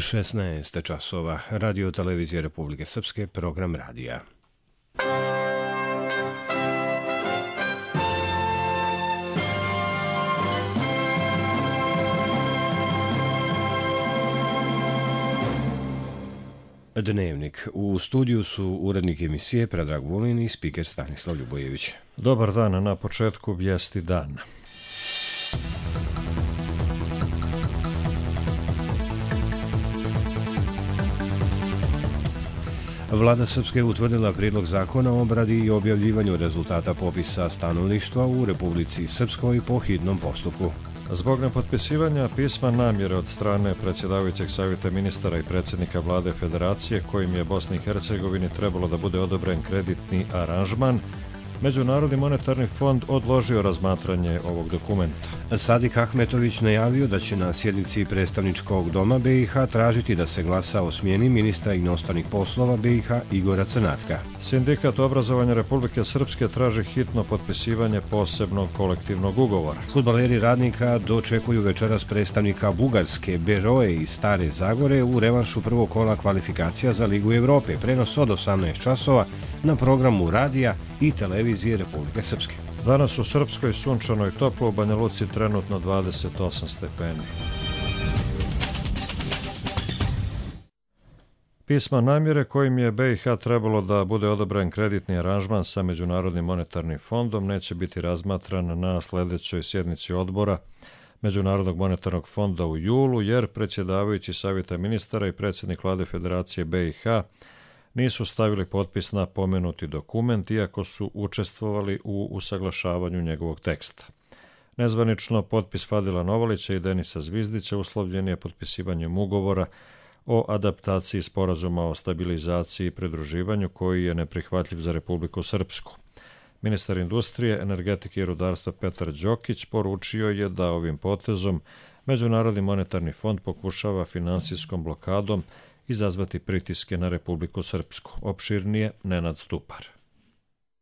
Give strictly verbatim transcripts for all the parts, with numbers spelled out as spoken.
šesnaest časova. Radio televizije Republike Srpske, program radija. Dnevnik. U studiju su urednik emisije Predrag Vulin i spiker Stanislav Ljubojević. Dobar dan, na početku vijesti dan. Vlada Srpske utvrdila prijedlog zakona o obradi i objavljivanju rezultata popisa stanovništva u Republici Srpskoj po hitnom postupku. Zbog nepotpisivanja pisma namjere od strane predsjedavajućeg savjeta ministara i predsjednika vlade Federacije, kojim je Bosni i Hercegovini trebalo da bude odobren kreditni aranžman, Međunarodni monetarni fond odložio razmatranje ovog dokumenta. Sadik Ahmetović najavio da će na sjednici predstavničkog doma B i H tražiti da se glasa o smjeni ministra inostranih poslova B i H Igora Crnatka. Sindikat obrazovanja Republike Srpske traži hitno potpisivanje posebnog kolektivnog ugovora. Fudbaleri Radnika dočekuju večeras predstavnika Bugarske Beroe iz Stare Zagore u revanšu prvog kola kvalifikacija za Ligu Evrope. Prenos od osamnaest časova na programu radija i televizije Republike Srpske. Danas u Srpskoj sunčano i toplo, u Banja Luci trenutno dvadeset osam stepeni. Pisma namjere kojim je B i H trebalo da bude odobren kreditni aranžman sa Međunarodnim monetarnim fondom neće biti razmatran na sljedećoj sjednici odbora Međunarodnog monetarnog fonda u julu, jer predsjedavajući savjeta ministara i predsjednik vlade Federacije B i H nisu stavili potpis na pomenuti dokument, iako su učestvovali u usaglašavanju njegovog teksta. Nezvanično, potpis Fadila Novalića i Denisa Zvizdića uslovljen je potpisivanjem ugovora o adaptaciji sporazuma o stabilizaciji i pridruživanju, koji je neprihvatljiv za Republiku Srpsku. Ministar industrije, energetike i rudarstva Petar Đokić poručio je da ovim potezom Međunarodni monetarni fond pokušava finansijskom blokadom izazvati pritiske na Republiku Srpsku. Opširnije Nenad Stupar.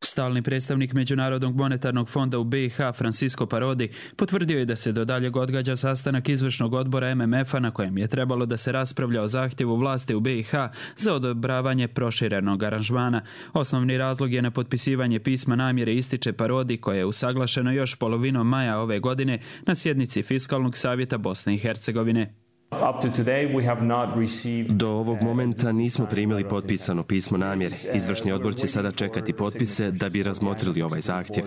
Stalni predstavnik Međunarodnog monetarnog fonda u B i H Francisco Parodi potvrdio je da se do daljeg odgađa sastanak izvršnog odbora M M F-a na kojem je trebalo da se raspravlja o zahtjevu vlasti u B i H za odobravanje proširenog aranžmana. Osnovni razlog je nepotpisivanje pisma namjere, ističe Parodi, koje je usaglašeno još polovinom maja ove godine na sjednici Fiskalnog savjeta Bosne i Hercegovine. Do ovog momenta nismo primili potpisano pismo namjere. Izvršni odbor će sada čekati potpise da bi razmotrili ovaj zahtjev.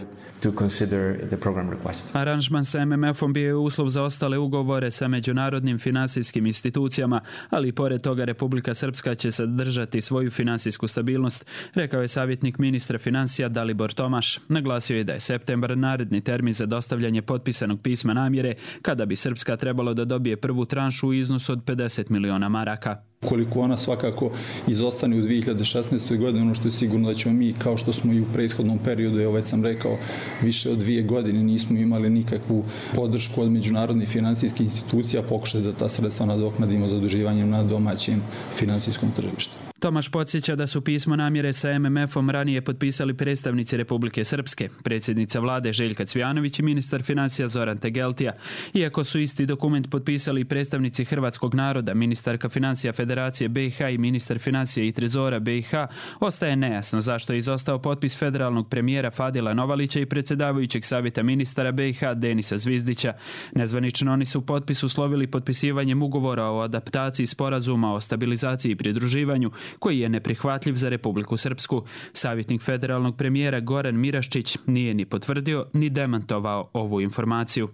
Aranžman sa M M F-om bio je uslov za ostale ugovore sa međunarodnim finansijskim institucijama, ali i pored toga Republika Srpska će sadržati svoju finansijsku stabilnost, rekao je savjetnik ministra financija Dalibor Tomaš. Naglasio je da je septembar naredni termin za dostavljanje potpisanog pisma namjere, kada bi Srpska trebalo da dobije prvu tranšu u iznosu od pedeset miliona maraka. Koliko ona svakako izostane u dvije hiljade šesnaestoj. godini, ono što je sigurno da ćemo mi, kao što smo i u prethodnom periodu, evo već sam rekao, više od dvije godine nismo imali nikakvu podršku od međunarodnih finansijskih institucija, pokušati da ta sredstva nadoknadimo zaduživanjem na domaćem finansijskom tržištu. Tomaš podsjeća da su pismo namjere sa M M F-om ranije potpisali predstavnici Republike Srpske, predsjednica vlade Željka Cvijanović i ministar financija Zoran Tegeltija. Iako su isti dokument potpisali predstavnici hrvatskog naroda, ministarka financija Federacije B i H i ministar financija i trezora B i H, ostaje nejasno zašto je izostao potpis federalnog premijera Fadila Novalića i predsjedavajućeg savjeta ministara B i H Denisa Zvizdića. Nezvanično oni su potpis uslovili potpisivanjem ugovora o adaptaciji sporazuma o stabilizaciji i pridruživanju, koji je neprihvatljiv za Republiku Srpsku. Savjetnik federalnog premijera Goran Miraščić nije ni potvrdio ni demantovao ovu informaciju.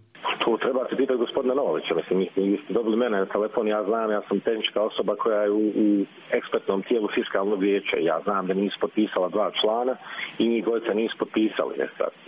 Tu trebate pitati gospodina Novalića. Mislim, vi ste dobili mene na telefon, ja znam, ja sam tehnička osoba koja je u, u ekspertnom tijelu fiskalnog vijeća. Ja znam da nisu potpisala dva člana i njih dvojica nisu potpisali.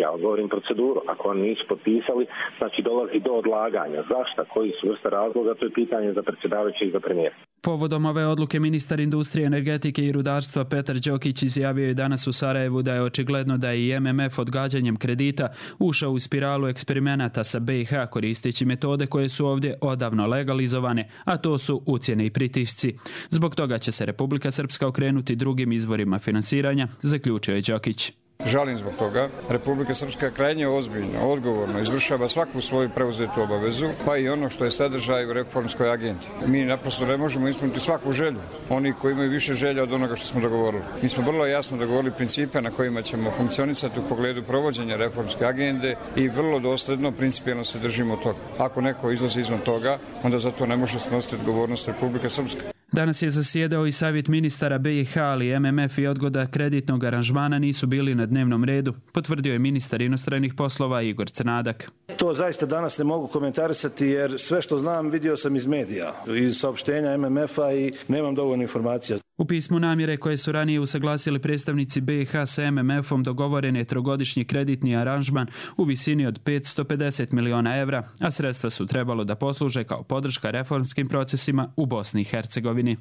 Ja govorim proceduru. Ako oni nisu potpisali, znači dolazi do odlaganja. Zašto? Koji su vrste razloga? To je pitanje za predsjedavajućeg i za premijera. Povodom ove odluke ministar industrije, energetike i rudarstva Petar Đokić izjavio je danas u Sarajevu da je očigledno da je i M M F odgađanjem kredita ušao u spiralu eksperimenata sa B i H koristeći metode koje su ovdje odavno legalizovane, a to su ucjene i pritisci. Zbog toga će se Republika Srpska okrenuti drugim izvorima finansiranja, zaključio je Đokić. Žalim zbog toga. Republika Srpska krajnje ozbiljno, odgovorno izvršava svaku svoju preuzetu obavezu, pa i ono što je sadržaj u reformskoj agendi. Mi naprosto ne možemo ispuniti svaku želju. Oni koji imaju više želja od onoga što smo dogovorili. Mi smo vrlo jasno dogovorili principe na kojima ćemo funkcionisati u pogledu provođenja reformske agende i vrlo dosledno, principijelno se držimo toga. Ako neko izlazi izvan toga, onda za to ne može snositi odgovornost Republika Srpska. Danas je zasjedao i savjet ministara B i H, ali M M F i odgoda kreditnog aranžmana nisu bili na dnevnom redu, potvrdio je ministar inostranih poslova Igor Crnadak. To zaista danas ne mogu komentarisati jer sve što znam vidio sam iz medija, iz saopštenja M M F-a i nemam dovoljno informacija. U pismu namjere koje su ranije usaglasili predstavnici B i H sa M M F-om dogovoren je trogodišnji kreditni aranžman u visini od petsto pedeset miliona evra, a sredstva su trebalo da posluže kao podrška reformskim procesima u Bosni i Hercegovini.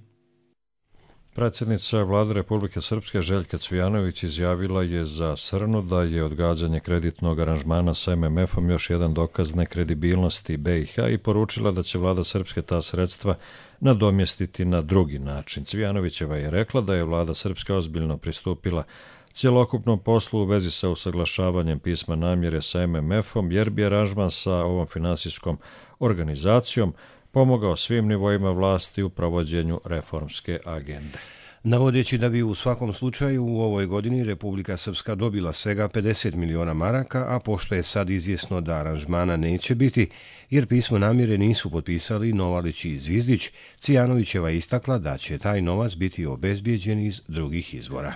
Predsjednica Vlade Republike Srpske Željka Cvijanović izjavila je za Srnu da je odgađanje kreditnog aranžmana sa M M F-om još jedan dokaz nekredibilnosti B i H i poručila da će Vlada Srpske ta sredstva nadomjestiti na drugi način. Cvijanovićeva je rekla da je Vlada Srpske ozbiljno pristupila cjelokupnom poslu u vezi sa usaglašavanjem pisma namjere sa M M F-om, jer bi aranžman sa ovom finansijskom organizacijom pomogao svim nivoima vlasti u provođenju reformske agende. Navodeći da bi u svakom slučaju u ovoj godini Republika Srpska dobila svega pedeset miliona maraka, a pošto je sad izvjesno da aranžmana neće biti, jer pismo namjere nisu potpisali Novalić i Zvizdić, Cvijanovićeva istakla da će taj novac biti obezbijeđen iz drugih izvora.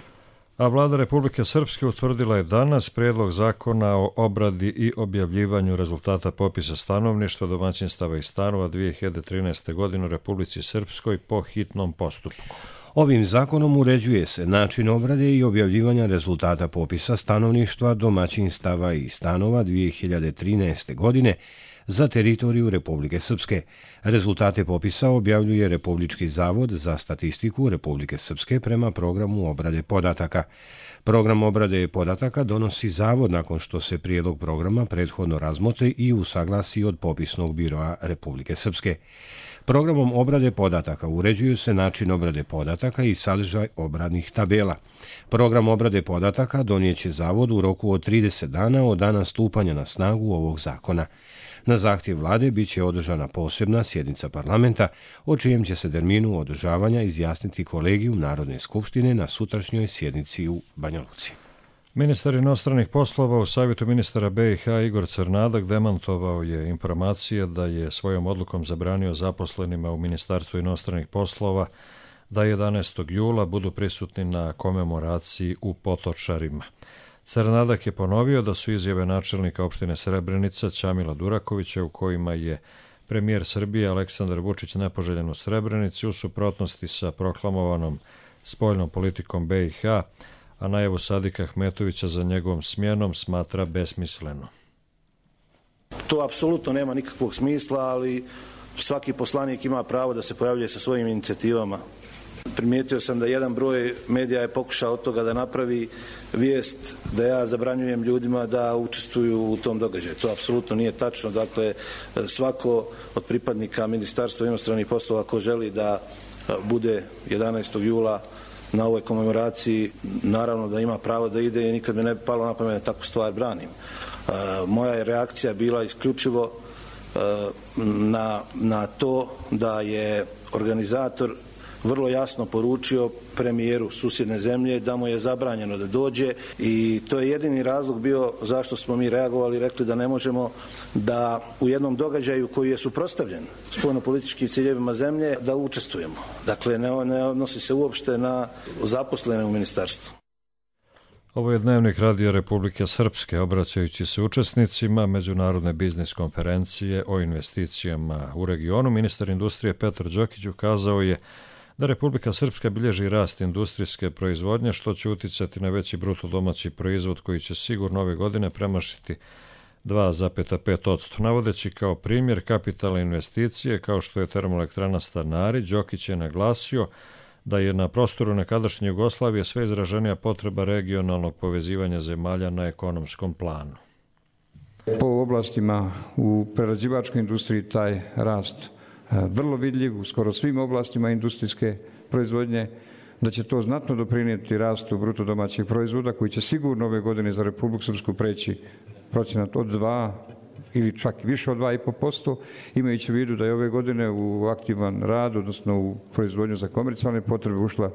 A Vlada Republike Srpske utvrdila je danas prijedlog zakona o obradi i objavljivanju rezultata popisa stanovništva, domaćinstava i stanova dvije hiljade trinaeste. godine u Republici Srpskoj po hitnom postupku. Ovim zakonom uređuje se način obrade i objavljivanja rezultata popisa stanovništva, domaćinstava i stanova dvije hiljade trinaeste. godine za teritoriju Republike Srpske. Rezultate popisa objavljuje Republički zavod za statistiku Republike Srpske prema programu obrade podataka. Program obrade podataka donosi zavod nakon što se prijedlog programa prethodno razmotri i usaglasi od popisnog biroa Republike Srpske. Programom obrade podataka uređuju se način obrade podataka i sadržaj obradnih tabela. Program obrade podataka donijeće zavod u roku od trideset dana od dana stupanja na snagu ovog zakona. Na zahtjev vlade bit će održana posebna sjednica parlamenta, o čijem će se terminu održavanja izjasniti kolegijum Narodne skupštine na sutrašnjoj sjednici u Banja Luci. Ministar inostranih poslova u savjetu ministara B i H Igor Crnadak demantovao je informacije da je svojom odlukom zabranio zaposlenima u Ministarstvu inostranih poslova da jedanaestog jula budu prisutni na komemoraciji u Potočarima. Crnadak je ponovio da su izjave načelnika opštine Srebrenica Ćamila Durakovića u kojima je premijer Srbije Aleksandar Vučić nepoželjen u Srebrenici u suprotnosti sa proklamovanom spoljnom politikom B i H, a najavu Sadika Ahmetovića za njegovom smjenom smatra besmisleno. To apsolutno nema nikakvog smisla, ali svaki poslanik ima pravo da se pojavljuje sa svojim inicijativama. Primijetio sam da jedan broj medija je pokušao od toga da napravi vijest da ja zabranjujem ljudima da učestvuju u tom događaju. To apsolutno nije tačno. Dakle, svako od pripadnika Ministarstva inostranih poslova ko želi da bude jedanaestog jula na ovoj komemoraciji, naravno da ima pravo da ide i nikad mi ne bi palo na pamet da takvu stvar branim. Moja je reakcija bila isključivo na, na to da je organizator vrlo jasno poručio premijeru susjedne zemlje da mu je zabranjeno da dođe i to je jedini razlog bio zašto smo mi reagovali i rekli da ne možemo da u jednom događaju koji je suprotstavljen spoljnopolitičkim ciljevima zemlje da učestvujemo. Dakle, ne, ne odnosi se uopšte na zaposlene u ministarstvu. Ovo je dnevnik Radija Republike Srpske, obraćajući se učesnicima Međunarodne biznis konferencije o investicijama u regionu. Ministar industrije Petar Đokić ukazao je da Republika Srpska bilježi rast industrijske proizvodnje, što će uticati na veći bruto domaći proizvod koji će sigurno ove godine premašiti dva zarez pet posto. Navodeći kao primjer kapitalne investicije, kao što je termoelektrana Stanari, Đokić je naglasio da je na prostoru nekadašnje Jugoslavije sve izraženija potreba regionalnog povezivanja zemalja na ekonomskom planu. Po oblastima u prerađivačkoj industriji taj rast vrlo vidljiv u skoro svim oblastima industrijske proizvodnje. da će to znatno doprinijeti rastu bruto domaćih proizvoda koji će sigurno ove godine za Republiku Srpsku preći procenat od dva ili čak više od dva i po posto, imajući u vidu da je ove godine u aktivan rad, odnosno u proizvodnju za komercijalne potrebe ušla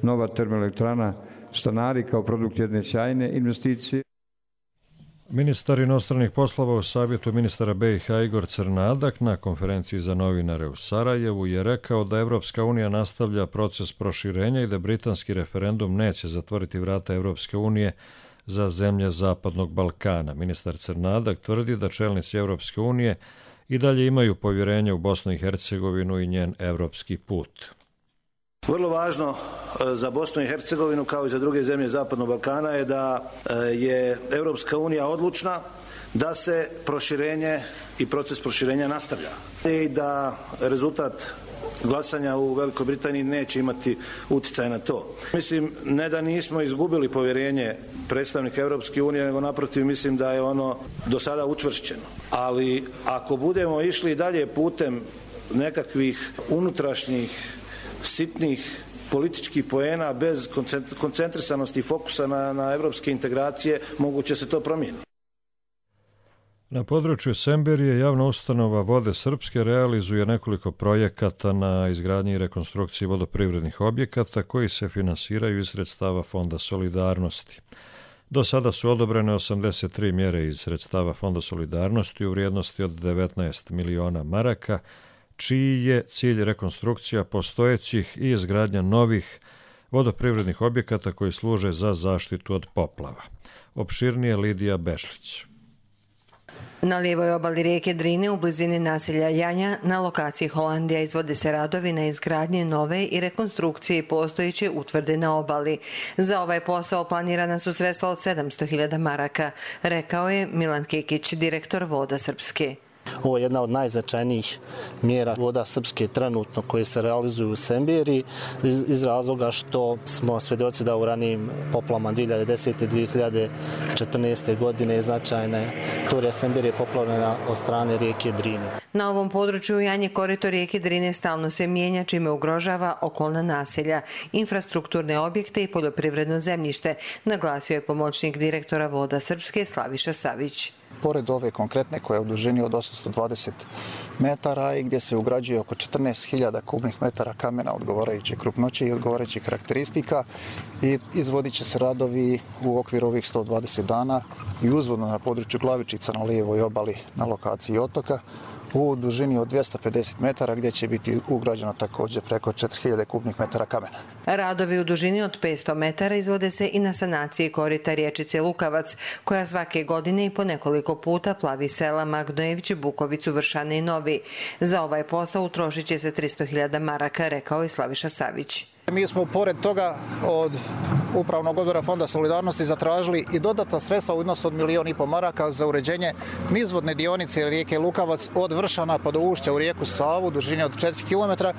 nova termoelektrana Stanari kao produkt jedne sjajne investicije. Ministar inostranih poslova u savjetu ministara B i H Igor Crnadak na konferenciji za novinare u Sarajevu je rekao da Evropska unija nastavlja proces proširenja i da britanski referendum neće zatvoriti vrata Evropske unije za zemlje Zapadnog Balkana. Ministar Crnadak tvrdi da čelnici Evropske unije i dalje imaju povjerenje u Bosnu i Hercegovinu i njen evropski put. Vrlo važno za Bosnu i Hercegovinu kao i za druge zemlje Zapadnog Balkana je da je Evropska unija odlučna da se proširenje i proces proširenja nastavlja i da rezultat glasanja u Velikoj Britaniji neće imati utjecaj na to. Mislim, ne da nismo izgubili povjerenje predstavnika Evropske unije, nego naprotiv mislim da je ono do sada učvršćeno. Ali ako budemo išli dalje putem nekakvih unutrašnjih sitnih političkih poena bez koncentrisanosti i fokusa na, na evropske integracije, moguće se to promijeniti. Na području Semberije javna ustanova Vode Srpske realizuje nekoliko projekata na izgradnji i rekonstrukciji vodoprivrednih objekata koji se finansiraju iz sredstava Fonda solidarnosti. Do sada su odobrene osamdeset tri mjere iz sredstava Fonda solidarnosti u vrijednosti od devetnaest miliona maraka, čiji je cilj rekonstrukcija postojećih i izgradnja novih vodoprivrednih objekata koji služe za zaštitu od poplava. Opširnije Lidija Bešlić. Na lijevoj obali rijeke Drine u blizini naselja Janja na lokaciji Holandija izvode se radovi na izgradnje nove i rekonstrukcije postojeće utvrde na obali. Za ovaj posao planirana su sredstva od sedamsto hiljada maraka, rekao je Milan Kikić, direktor Voda Srpske. Ovo je jedna od najznačajnijih mjera Voda Srpske trenutno koje se realizuju u Semberiji iz, iz razloga što smo svjedoci da u ranijim poplavama dvije hiljade desete i dvije hiljade četrnaeste. godine značajne teritorija Semberije poplavljena od strane rijeke Drine. Na ovom području Janje korito rijeke Drine stalno se mijenja, čime ugrožava okolna naselja, infrastrukturne objekte i poljoprivredno zemljište, naglasio je pomoćnik direktora Voda Srpske Slaviša Savić. Pored ove konkretne koja je u dužini od osamsto dvadeset metara i gdje se ugrađuje oko četrnaest hiljada kubnih metara kamena odgovarajuće krupnoće i odgovarajućih karakteristika i izvodit će se radovi u okviru ovih sto dvadeset dana i uzvodno na području Glavičica na lijevoj obali na lokaciji otoka u dužini od dvjesto pedeset metara gdje će biti ugrađeno također preko četiri hiljade kubnih metara kamena. Radovi u dužini od petsto metara izvode se i na sanaciji korita riječice Lukavac, koja svake godine i po nekoliko puta plavi sela Magnojević, Bukovicu, Vršane i Novi. Za ovaj posao utrošit će se tristo hiljada maraka, rekao je Slaviša Savić. Mi smo pored toga od Upravnog odbora Fonda solidarnosti zatražili i dodatna sredstva u iznosu od milijon i po maraka za uređenje nizvodne dionice rijeke Lukavac od Vršana pa do ušća u rijeku Savu, dužine od četiri kilometra,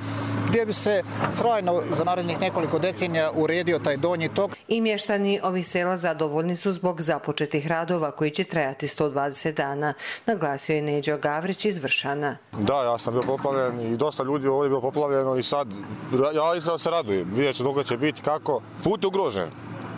gdje bi se trajno za narednih nekoliko decenija uredio taj donji tok. I mještani ovih sela zadovoljni su zbog započetih radova koji će trajati sto dvadeset dana, naglasio je Neđo Gavrić iz Vršana. Da, ja sam bio poplavljen i dosta ljudi ovdje je bilo poplavljeno i sad ja iskreno se radujem. Vidjet ću dok će biti kako. Put je ugrožen.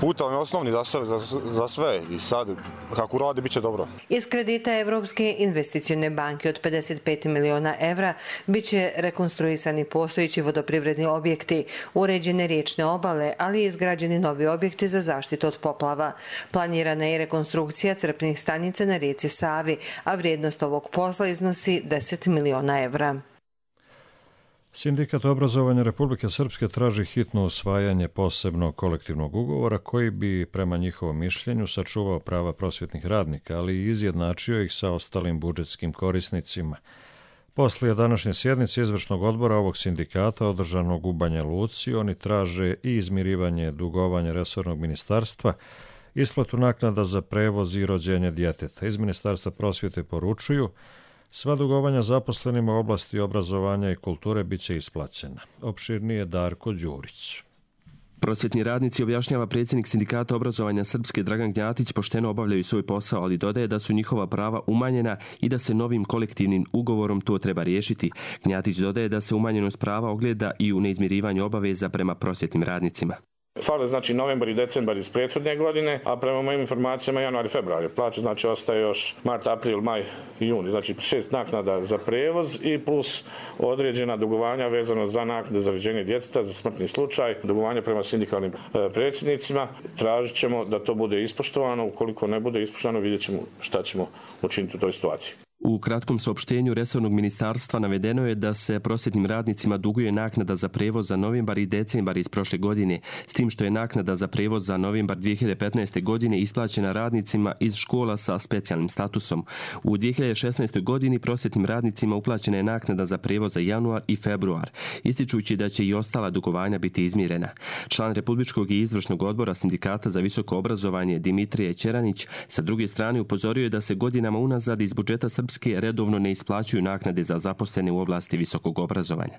Put je osnovni za sve, za, za sve i sad kako radi bit će dobro. Iz kredita Evropske investicione banke od pedeset pet miliona evra bit će rekonstruisani postojeći vodoprivredni objekti, uređene riječne obale, ali i izgrađeni novi objekti za zaštitu od poplava. Planirana je rekonstrukcija crpnih stanica na rijeci Savi, a vrijednost ovog posla iznosi deset miliona evra. Sindikat obrazovanja Republike Srpske traži hitno usvajanje posebnog kolektivnog ugovora koji bi, prema njihovom mišljenju, sačuvao prava prosvjetnih radnika, ali i izjednačio ih sa ostalim budžetskim korisnicima. Poslije današnje sjednice izvršnog odbora ovog sindikata održanog u Banja Luci, oni traže i izmirivanje dugovanja resornog ministarstva, isplatu naknada za prevoz i rođenje djeteta. Iz Ministarstva prosvjete poručuju sva dugovanja zaposlenima u oblasti obrazovanja i kulture bit će isplaćena. Opširnije Darko Đurić. Prosvjetni radnici, objašnjava predsjednik Sindikata obrazovanja Srpske Dragan Gnjatić, pošteno obavljaju svoj posao, ali dodaje da su njihova prava umanjena i da se novim kolektivnim ugovorom to treba riješiti. Gnjatić dodaje da se umanjenost prava ogleda i u neizmirivanju obaveza prema prosvjetnim radnicima. Fale znači novembar i decembar iz prethodne godine, a prema mojim informacijama januar i februar. Plaća znači ostaje još mart, april, maj i juni. Znači šest naknada za prevoz i plus određena dugovanja vezano za naknade za rođenje djeteta, za smrtni slučaj, dugovanja prema sindikalnim e, predsjednicima. Tražit ćemo da to bude ispoštovano. Ukoliko ne bude ispoštovano, vidjet ćemo šta ćemo učiniti u toj situaciji. U kratkom saopštenju resornog ministarstva navedeno je da se prosvjetnim radnicima duguje naknada za prevoz za novembar i decembar iz prošle godine, s tim što je naknada za prevoz za novembar dvije hiljade petnaeste. godine isplaćena radnicima iz škola sa specijalnim statusom. U dvije hiljade šesnaestoj. godini prosvjetnim radnicima uplaćena je naknada za prevoz za januar i februar, ističući da će i ostala dugovanja biti izmirena. Član Republičkog i izvršnog odbora Sindikata za visoko obrazovanje Dimitrije Ćeranić sa druge strane upozorio je da se godinama unazad iz budžeta Srpske redovno ne isplaćuju naknade za zaposlene u oblasti visokog obrazovanja.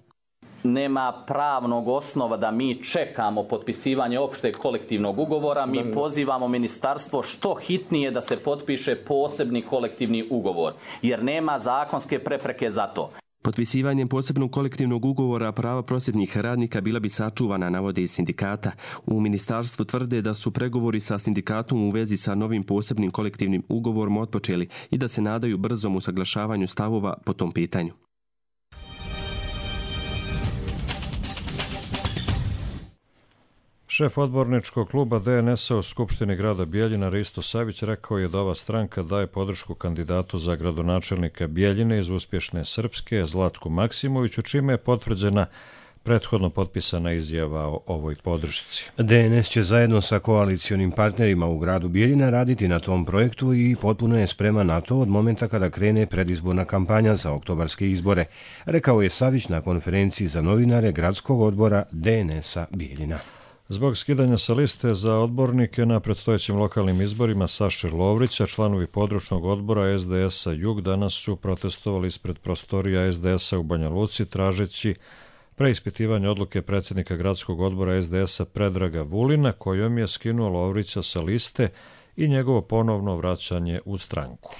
Nema pravnog osnova da mi čekamo potpisivanje opšteg kolektivnog ugovora. Mi pozivamo ministarstvo što hitnije da se potpiše posebni kolektivni ugovor, jer nema zakonske prepreke za to. Potpisivanjem posebnog kolektivnog ugovora prava prosvjetnih radnika bila bi sačuvana, navode iz sindikata. U ministarstvu tvrde da su pregovori sa sindikatom u vezi sa novim posebnim kolektivnim ugovorom otpočeli i da se nadaju brzom usaglašavanju stavova po tom pitanju. Šef odborničkog kluba D N S-a u Skupštini grada Bijeljina Risto Savić rekao je da ova stranka daje podršku kandidatu za gradonačelnika Bijeljine iz Uspješne Srpske, Zlatku Maksimoviću, čime je potvrđena prethodno potpisana izjava o ovoj podršci. D N S će zajedno sa koalicionim partnerima u gradu Bijeljina raditi na tom projektu i potpuno je spreman na to od momenta kada krene predizborna kampanja za oktobarske izbore, rekao je Savić na konferenciji za novinare gradskog odbora D N S-a Bijeljina. Zbog skidanja sa liste za odbornike na predstojećim lokalnim izborima Saše Lovrića, članovi područnog odbora S D S-a Jug danas su protestovali ispred prostorija S D S-a u Banja Luci, tražeći preispitivanje odluke predsjednika gradskog odbora S D S-a Predraga Vulina, kojom je skinuo Lovrića sa liste i njegovo ponovno vraćanje u stranku.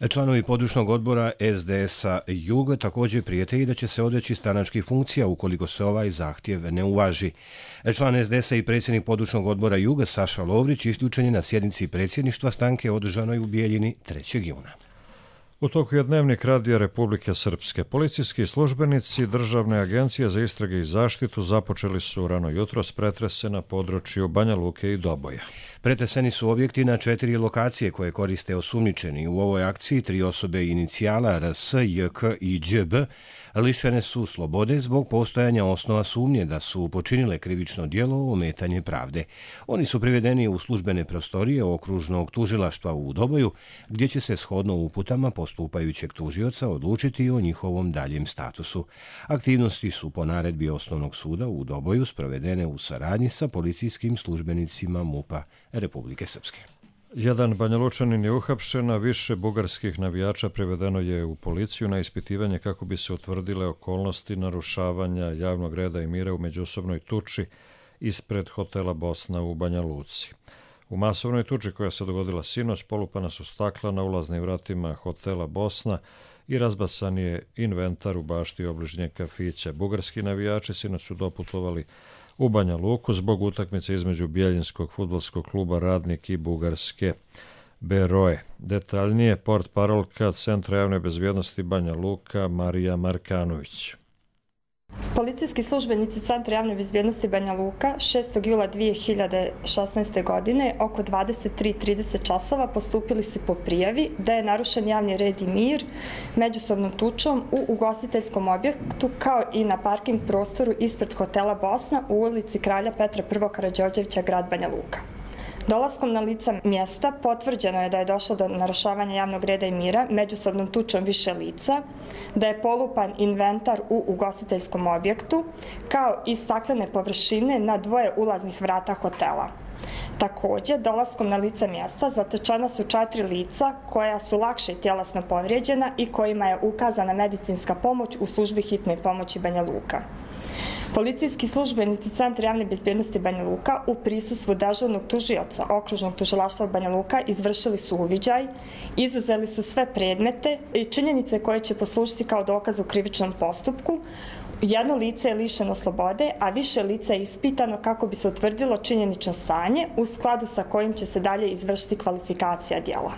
Članovi područnog odbora S D S-a Jug također prijete i da će se odreći stranačkih funkcija ukoliko se ovaj zahtjev ne uvaži. Član S D S-a i predsjednik područnog odbora Jug Saša Lovrić isključen je na sjednici predsjedništva stranke održanoj u Bijeljini trećeg juna. U toku je Dnevnik Radija Republike Srpske. Policijski službenici Državne agencije za istrage i zaštitu započeli su rano jutros pretrese na području Banja Luke i Doboja. Pretreseni su objekti na četiri lokacije koje koriste osumnjičeni. U ovoj akciji tri osobe inicijala R S, J K i Đ B lišene su slobode zbog postojanja osnova sumnje da su počinile krivično djelo ometanje pravde. Oni su privedeni u službene prostorije okružnog tužilaštva u Doboju, gdje će se shodno uputama postupajućeg tužioca odlučiti o njihovom daljem statusu. Aktivnosti su po naredbi Osnovnog suda u Doboju sprovedene u saradnji sa policijskim službenicima MUP-a Republike Srpske. Jedan Banjalučanin je uhapšen, a više bugarskih navijača privedeno je u policiju na ispitivanje kako bi se utvrdile okolnosti narušavanja javnog reda i mira u međusobnoj tuči ispred hotela Bosna u Banja Luci. U masovnoj tuči koja se dogodila sinoć polupana su stakla na ulaznim vratima hotela Bosna i razbacan je inventar u bašti obližnjeg kafića. Bugarski navijači sinoć su doputovali u Banja Luku zbog utakmice između Bijeljinskog fudbalskog kluba Radnik i bugarske Beroe. Detaljnije portparolka Centra javne bezbjednosti Banja Luka Marija Markanović. Policijski službenici Centra javne bezbjednosti Banja Luka šestog jula dvije hiljade šesnaeste. godine oko dvadeset tri trideset časova postupili su po prijavi da je narušen javni red i mir međusobnom tučom u ugostiteljskom objektu kao i na parking prostoru ispred hotela Bosna u ulici Kralja Petra I. Karađorđevića, grad Banja Luka. Dolaskom na lica mjesta potvrđeno je da je došlo do narušavanja javnog reda i mira međusobnom tučom više lica, da je polupan inventar u ugostiteljskom objektu, kao i staklene površine na dvoje ulaznih vrata hotela. Također, dolaskom na lica mjesta zatečena su četiri lica koja su lakše tjelesno povrijeđena i kojima je ukazana medicinska pomoć u službi hitne pomoći Banja Luka. Policijski službenici Centra javne bezbjednosti Banja Luka u prisustvu dežurnog tužioca Okružnog tužilaštva Banja Luka izvršili su uviđaj, izuzeli su sve predmete i činjenice koje će poslužiti kao dokaz u krivičnom postupku. Jedno lice je lišeno slobode, a više lica je ispitano kako bi se utvrdilo činjenično stanje u skladu sa kojim će se dalje izvršiti kvalifikacija djela.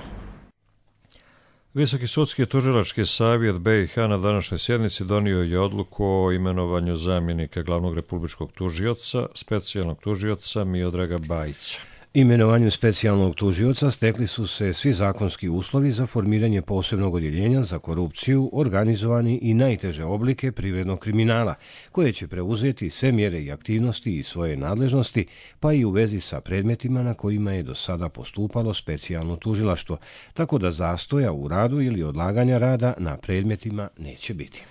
Visoki sudski tužilački savjet B i H na današnjoj sjednici donio je odluku o imenovanju zamjenika glavnog republičkog tužioca, specijalnog tužioca Miodraga Bajića. Imenovanjem specijalnog tužioca stekli su se svi zakonski uslovi za formiranje posebnog odjeljenja za korupciju, organizovani i najteže oblike privrednog kriminala, koje će preuzeti sve mjere i aktivnosti i svoje nadležnosti, pa i u vezi sa predmetima na kojima je do sada postupalo specijalno tužilaštvo, tako da zastoja u radu ili odlaganja rada na predmetima neće biti.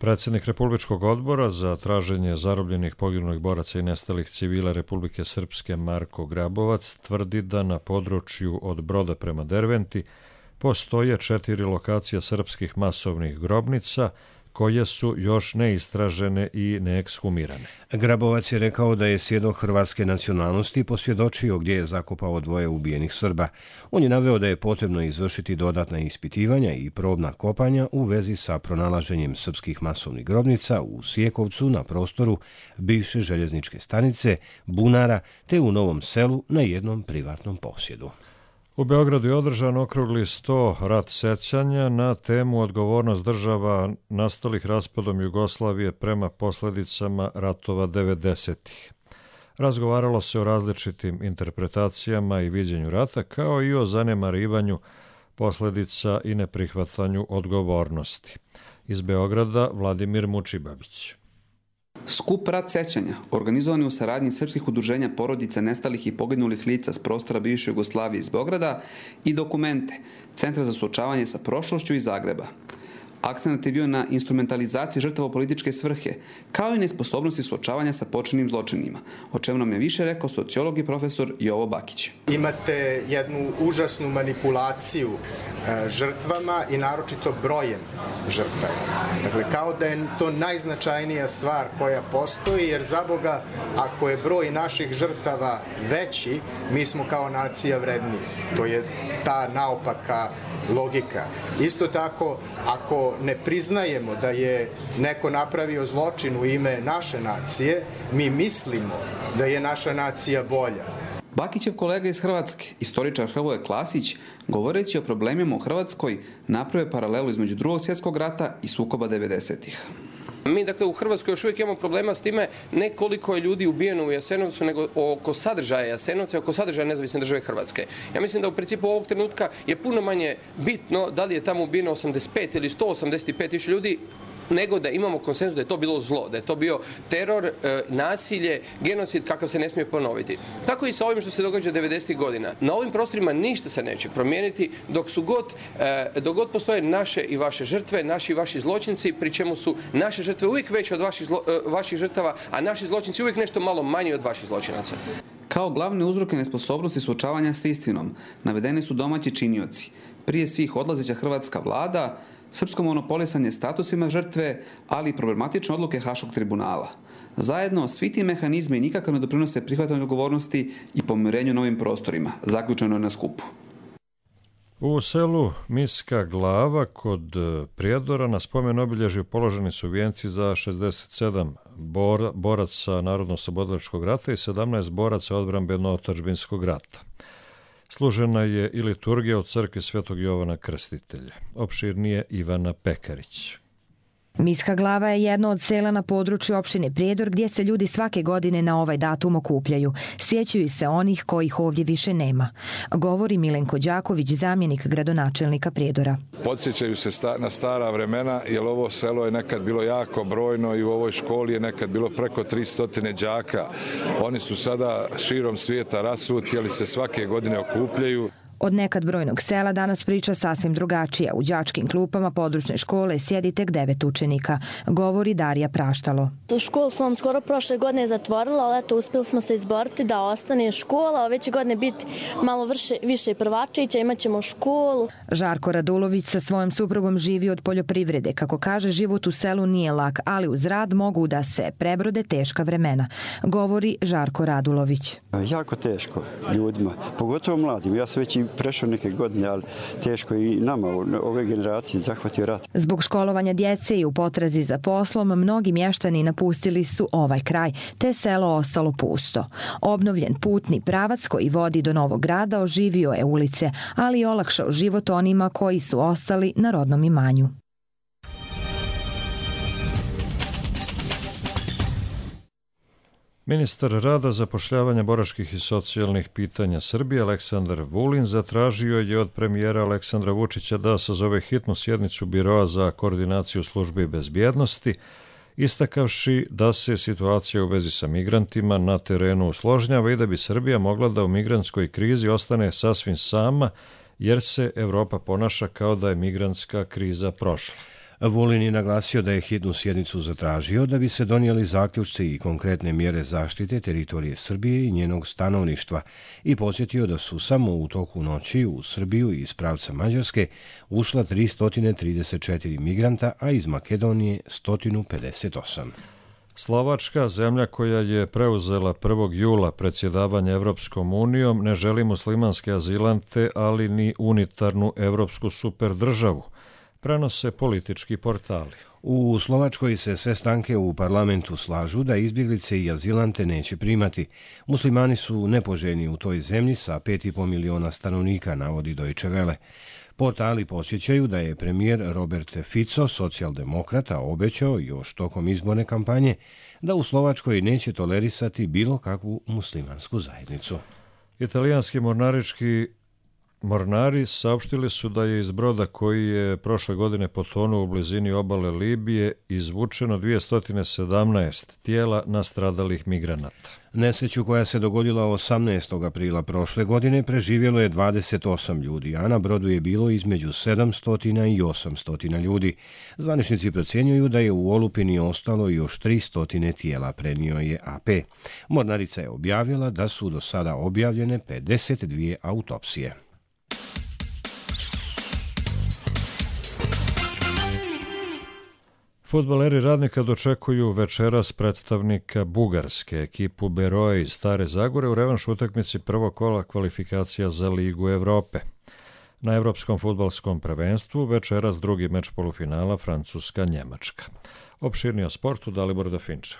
Predsjednik Republičkog odbora za traženje zarobljenih poginulih boraca i nestalih civila Republike Srpske Marko Grabovac tvrdi da na području od Broda prema Derventi postoje četiri lokacije srpskih masovnih grobnica koje su još neistražene i neekshumirane. Grabovac je rekao da je svjedok hrvatske nacionalnosti posvjedočio gdje je zakopao dvoje ubijenih Srba. On je naveo da je potrebno izvršiti dodatna ispitivanja i probna kopanja u vezi sa pronalaženjem srpskih masovnih grobnica u Sjekovcu na prostoru bivše željezničke stanice, Bunara, te u Novom Selu na jednom privatnom posjedu. U Beogradu je održan okrugli sto rat sećanja na temu odgovornost država nastalih raspadom Jugoslavije prema posljedicama ratova devedesetih. Razgovaralo se o različitim interpretacijama i viđenju rata, kao i o zanemarivanju posljedica i neprihvatanju odgovornosti. Iz Beograda Vladimir Mučibabić. Skup rat sećanja, organizovan je u saradnji srpskih udruženja porodica nestalih i poginulih lica s prostora bivše Jugoslavije iz Beograda i dokumente Centra za suočavanje sa prošlošću iz Zagreba. Akcent je bio na instrumentalizaciji žrtava u političke svrhe, kao i nesposobnosti suočavanja sa počinjenim zločinima, o čemu nam je više rekao sociolog i profesor Jovo Bakić. Imate jednu užasnu manipulaciju e, žrtvama i naročito brojem žrtava. Dakle, kao da je to najznačajnija stvar koja postoji, jer za Boga, ako je broj naših žrtava veći, mi smo kao nacija vredniji. To je ta naopaka logika. Isto tako, ako ne priznajemo da je neko napravio zločin u ime naše nacije, mi mislimo da je naša nacija bolja. Bakićev kolega iz Hrvatske, istoričar Hrvoje Klasić, govoreći o problemima u Hrvatskoj, napravio paralelu između Drugog svjetskog rata i sukoba devedesetih. Mi, dakle, u Hrvatskoj još uvijek imamo problema s time ne koliko je ljudi ubijeno u Jasenovcu, nego oko sadržaja Jasenovca i oko sadržaja nezavisne države Hrvatske. Ja mislim da u principu ovog trenutka je puno manje bitno da li je tamo ubijeno osamdeset pet ili sto osamdeset pet tisuća ljudi, nego da imamo konsenzus da je to bilo zlo, da je to bio teror, e, nasilje, genocid kakav se ne smije ponoviti. Tako i sa ovim što se događa devedesetih godina. Na ovim prostorima ništa se neće promijeniti dok su god, e, dok god postoje naše i vaše žrtve, naši i vaši zločinci, pri čemu su naše žrtve uvijek veće od vaših, zlo, e, vaših žrtava, a naši zločinci uvijek nešto malo manji od vaših zločinaca. Kao glavne uzroke nesposobnosti suočavanja s istinom navedeni su domaći činioci. Prije svih odlazeća hrvatska vlada, srpsko monopolisanje statusima žrtve, ali i problematične odluke Haškog tribunala. Zajedno, svi ti mehanizmi nikako ne doprinose prihvatanju odgovornosti i pomirenju novim prostorima, zaključeno je na skupu. U selu Miska Glava kod Prijedora na spomen obilježju položeni su vijenci za šezdeset sedam bor, boraca Narodno-oslobodilačkog rata i sedamnaest boraca odbrambeno-otadžbinskog rata. Služena je i liturgija u crkvi Svetog Jovana Krstitelja. Opširnije Ivana Pekarić. Miska Glava je jedno od sela na području opštine Prijedor gdje se ljudi svake godine na ovaj datum okupljaju. Sjećaju se onih kojih ovdje više nema. Govori Milenko Đaković, zamjenik gradonačelnika Prijedora. Podsjećaju se sta, na stara vremena, jer ovo selo je nekad bilo jako brojno i u ovoj školi je nekad bilo preko tristo đaka. Oni su sada širom svijeta rasuti, ali se svake godine okupljaju. Od nekad brojnog sela danas priča sasvim drugačija. U đačkim klupama područne škole sjedi tek devet učenika, govori Darija Praštalo. Školu smo vam skoro prošle godine zatvorila, ali eto, uspjeli smo se izboriti da ostane škola, a ove će godine biti malo vrše, više prvačića, imat ćemo školu. Žarko Radulović sa svojom suprugom živi od poljoprivrede. Kako kaže, život u selu nije lak, ali uz rad mogu da se prebrode teška vremena, govori Žarko Radulović. Jako teško ljudima, pogotovo mladim. Ja sam već i prešao neke godine, ali teško i nama, ove generacije, zahvatio rat. Zbog školovanja djece i u potrazi za poslom, mnogi mještani napustili su ovaj kraj, te selo ostalo pusto. Obnovljen putni pravac koji vodi do Novog Grada oživio je ulice, ali i olakšao život onima koji su ostali na rodnom imanju. Ministar rada, zapošljavanja, boračkih i socijalnih pitanja Srbije Aleksandar Vulin zatražio je od premijera Aleksandra Vučića da sazove hitnu sjednicu Biroa za koordinaciju službi bezbjednosti, istakavši da se situacija u vezi sa migrantima na terenu usložnjava i da bi Srbija mogla da u migrantskoj krizi ostane sasvim sama, jer se Evropa ponaša kao da je migrantska kriza prošla. Vulin je naglasio da je hitnu sjednicu zatražio da bi se donijeli zaključci i konkretne mjere zaštite teritorije Srbije i njenog stanovništva i podsjetio da su samo u toku noći u Srbiju iz pravca Mađarske ušla tristo trideset četiri migranta, a iz Makedonije sto pedeset osam. Slovačka, zemlja koja je preuzela prvog jula predsjedavanje Evropskom unijom, ne želi muslimanske azilante, ali ni unitarnu evropsku superdržavu, prenose politički portali. U Slovačkoj se sve stranke u parlamentu slažu da izbjeglice i azilante neće primati. Muslimani su nepoželjni u toj zemlji sa pet i po miliona stanovnika, navodi Deutsche Welle. Portali posjećaju da je premijer Robert Fico, socijaldemokrata, obećao još tokom izborne kampanje da u Slovačkoj neće tolerisati bilo kakvu muslimansku zajednicu. Italijanski mornarički mornari saopštili su da je iz broda koji je prošle godine potonuo u blizini obale Libije izvučeno dvjesto sedamnaest tijela nastradalih migranata. Nesreću koja se dogodila osamnaestog aprila prošle godine preživjelo je dvadeset osam ljudi, a na brodu je bilo između sedamsto i osamsto ljudi. Zvaničnici procjenjuju da je u olupini ostalo još tristo tijela, prenio je A P. Mornarica je objavila da su do sada objavljene pedeset dvije autopsije. Fudbaleri Radnika dočekuju večeras predstavnika Bugarske, ekipu Beroe iz Stare Zagore u revanš utakmici prvog kola kvalifikacija za Ligu Evrope. Na Evropskom fudbalskom prvenstvu večeras drugi meč polufinala Francuska-Njemačka. Opširnije o sportu Dalibor Dafinčev.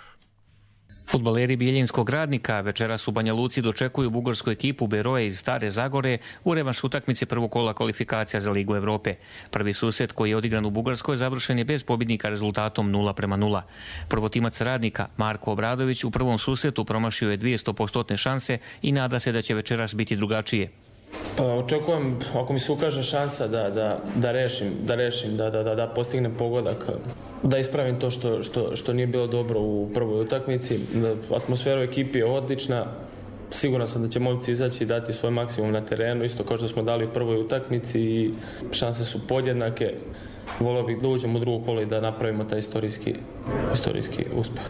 Fudbaleri Bijeljinskog Radnika večeras u Banja Luci dočekuju bugarsku ekipu Beroe iz Stare Zagore u revanš utakmice prvog kola kvalifikacija za Ligu Evrope. Prvi susret koji je odigran u Bugarskoj završen je bez pobjednika rezultatom nula prema nula. Prvotimac Radnika Marko Obradović u prvom susretu promašio je dvjesto posto šanse i nada se da će večeras biti drugačije. Pa, očekujem, ako mi se ukaže šansa da, da, da rešim, da, rešim da, da, da postignem pogodak, da ispravim to što, što, što nije bilo dobro u prvoj utakmici. Atmosfera u ekipi je odlična, siguran sam da će momci izaći i dati svoj maksimum na terenu, isto kao što smo dali u prvoj utakmici i šanse su podjednake. Volio bih da uđemo u drugo kolo i da napravimo taj istorijski, istorijski uspeh.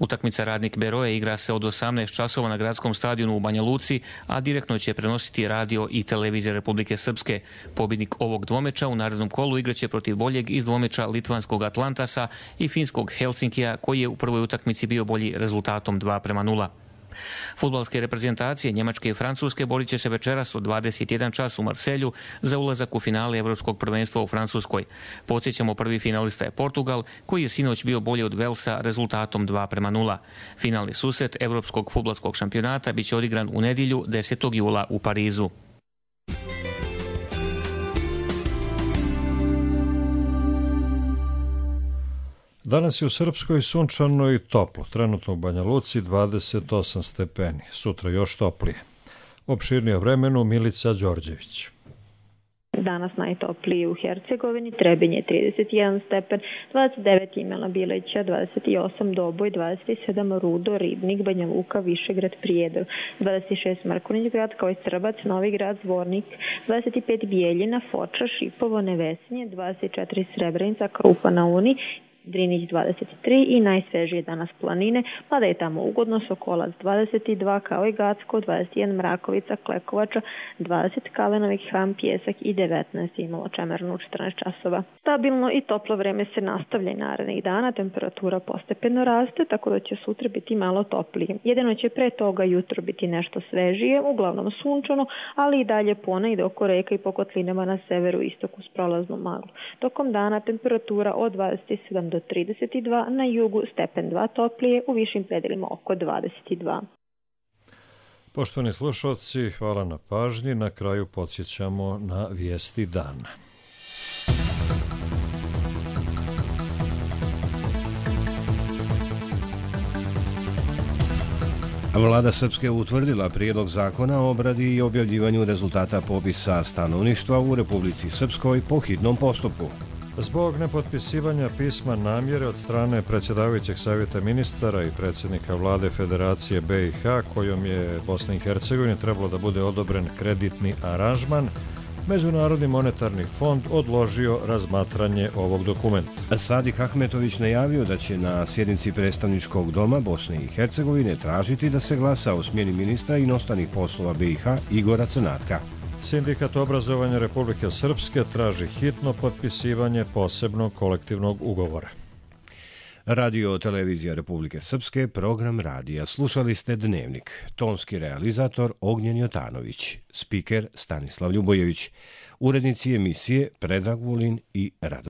Utakmica Radnik Beroe igra se od osamnaest časova na gradskom stadionu u Banja Luci, a direktno će prenositi radio i televizija Republike Srpske. Pobjednik ovog dvomeča u narednom kolu igraće protiv boljeg iz dvomeča litvanskog Atlantasa i finskog Helsinkija, koji je u prvoj utakmici bio bolji rezultatom dva prema nula. Fudbalske reprezentacije Njemačke i Francuske borit će se večeras od dvadeset jedan čas u Marselju za ulazak u finale Evropskog prvenstva u Francuskoj. Podsjećamo, prvi finalista je Portugal, koji je sinoć bio bolji od Velsa rezultatom dva prema nula. Finalni susret Evropskog fudbalskog šampionata biće odigran u nedjelju desetog jula u Parizu. Danas je u Srpskoj sunčano i toplo, trenutno u Banja Luci dvadeset osam stepeni, sutra još toplije. Opširnije vremenu Milica Đorđević. danas najtopliji u Hercegovini, Trebinje trideset jedan stepen, dvadeset devet Imela Bileća, dvadeset osam Doboj, dvadeset sedam Rudo, Ribnik, Banja Luka, Višegrad, Prijedor, dvadeset šest Mrkonjić Grad, kao i Srbac, Novi Grad, Zvornik, dvadeset pet Bijeljina, Foča, Šipovo, Nevesinje, dvadeset četiri Srebrenica, Krupa na Uni, Drinić dvadeset tri i najsvežije danas Planine, mada je tamo ugodno, Sokolac dvadeset dva, kao i Gacko, dvadeset jedan Mrakovica, Klekovača, dvadeset Kalenovih, Ham, Pjesak i devetnaest imalo Čemernu četrnaest časova. Stabilno i toplo vreme se nastavlja i narednih dana, temperatura postepeno raste, tako da će sutra biti malo toplije. Jedino će pre toga jutro biti nešto svežije, uglavnom sunčano, ali i dalje ponegde oko reka i po kotlinama na severu istoku s prolaznom maglu. Tokom dana temperatura od dvadeset sedam do trideset dva, na jugu stepen dva toplije, u višim predelima oko dvadeset dva. Poštovani slušalci, hvala na pažnji. Na kraju podsjećamo na vijesti dana. Vlada Srpske utvrdila prijedlog zakona o obradi i objavljivanju rezultata popisa stanovništva u Republici Srpskoj po hitnom postupku. Zbog nepotpisivanja pisma namjere od strane predsjedavajućeg savjeta ministara i predsjednika vlade Federacije B i H, kojom je Bosna i Hercegovina trebalo da bude odobren kreditni aranžman, Međunarodni monetarni fond odložio razmatranje ovog dokumenta. Sadik Ahmetović najavio da će na sjednici predstavničkog doma Bosne i Hercegovine tražiti da se glasa o smjeni ministra inostranih poslova B i H Igora Crnatka. Sindikat obrazovanja Republike Srpske traži hitno potpisivanje posebnog kolektivnog ugovora. Radio televizija Republike Srpske, program radija. Slušali ste Dnevnik. Tonski realizator Ognjen Jotanović, spiker Stanislav Ljubojević, urednici emisije Predrag Vulin i Rado